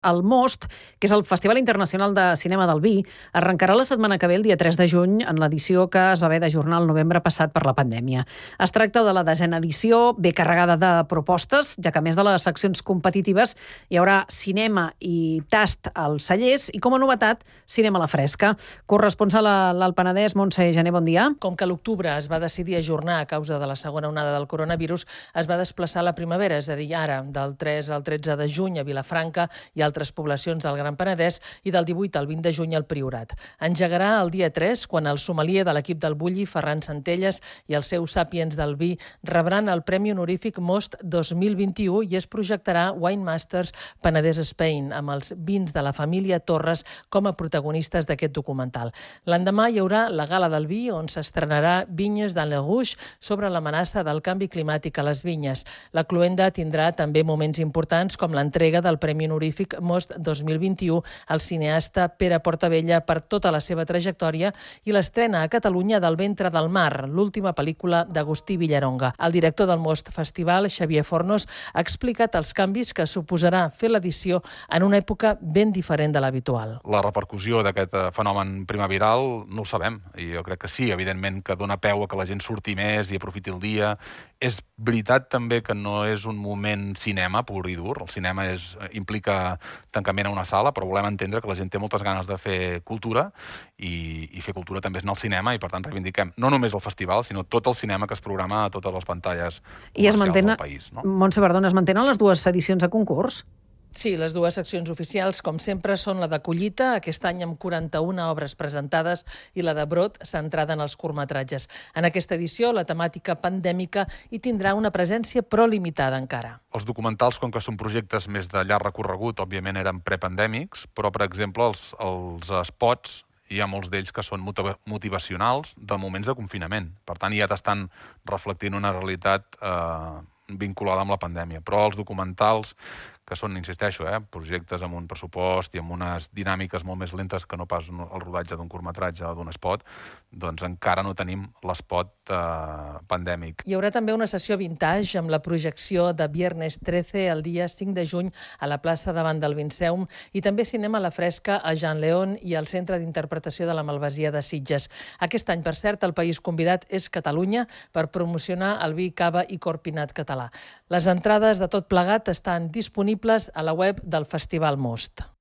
El Most, que és el Festival Internacional de Cinema del Vi, arrencarà la setmana que ve, el dia 3 de juny, en l'edició que es va haver d'ajornar el novembre passat per la pandèmia. Es tracta de la 10a edició, ben carregada de propostes, ja que a més de les seccions competitives hi haurà cinema i tast als cellers i, com a novetat, cinema a la fresca. Corresponsal a l'Alt Penedès, Montse Gené, bon dia. Com que l'octubre es va decidir ajornar a causa de la segona onada del coronavirus, es va desplaçar a la primavera, és a dir, ara, del 3 al 13 de juny a Vilafranca i altres poblacions del Gran Penedès i del 18 al 20 de juny al Priorat. Engegarà el dia 3, quan el sommelier de l'equip del Bulli, Ferran Centelles, i el seu Sàpiens del Vi rebran el Premi Honorífic Most 2021 i es projectarà Wine Masters Penedès Spain, amb els vins de la família Torres com a protagonistes d'aquest documental. L'endemà hi haurà la Gala del Vi, on s'estrenarà Vignes dans le Rouge sobre l'amenaça del canvi climàtic a les vinyes. La cloenda tindrà també moments importants com l'entrega del Premi Honorífic Most 2021 al cineasta Pere Portabella per tota la seva trajectòria i l'estrena a Catalunya del Ventre del Mar, l'última pel·lícula d'Agustí Villaronga. El director del Most Festival, Xavier Fornos, ha explicat els canvis que suposarà fer l'edició en una època ben diferent de l'habitual. La repercussió d'aquest fenomen primaveral no ho sabem, i jo crec que sí, evidentment que dona peu a que la gent surti més i aprofiti el dia. És veritat també que no és un moment cinema pur i dur, el cinema implica tancament a una sala, però volem entendre que la gent té moltes ganes de fer cultura i fer cultura també és anar al cinema i per tant reivindiquem no només el festival, sinó tot el cinema que es programa a totes les pantalles comercials del país. No? Montse, perdona, es mantenen les dues edicions de concurs? Sí, les dues seccions oficials, com sempre, són la de collita, aquest any amb 41 obres presentades, i la de brot, centrada en els curtmetratges. En aquesta edició, la temàtica pandèmica hi tindrà una presència però limitada encara. Els documentals, com que són projectes més de llarg recorregut, òbviament eren prepandèmics, però, per exemple, els spots, hi ha molts d'ells que són motivacionals de moments de confinament. Per tant, ja t'estan reflectint una realitat vinculada amb la pandèmia. Però els documentals, que són, insisteixo, projectes amb un pressupost i amb unes dinàmiques molt més lentes que no pas el rodatge d'un curtmetratge o d'un spot, doncs encara no tenim l'espot pandèmic. Hi haurà també una sessió vintage amb la projecció de Viernes 13 el dia 5 de juny a la plaça davant del Vinceum i també cinema a la fresca a Jean León i al Centre d'Interpretació de la Malvasia de Sitges. Aquest any, per cert, el país convidat és Catalunya per promocionar el vi, cava i corpinat català. Les entrades de tot plegat estan disponibles a la web del Festival Most.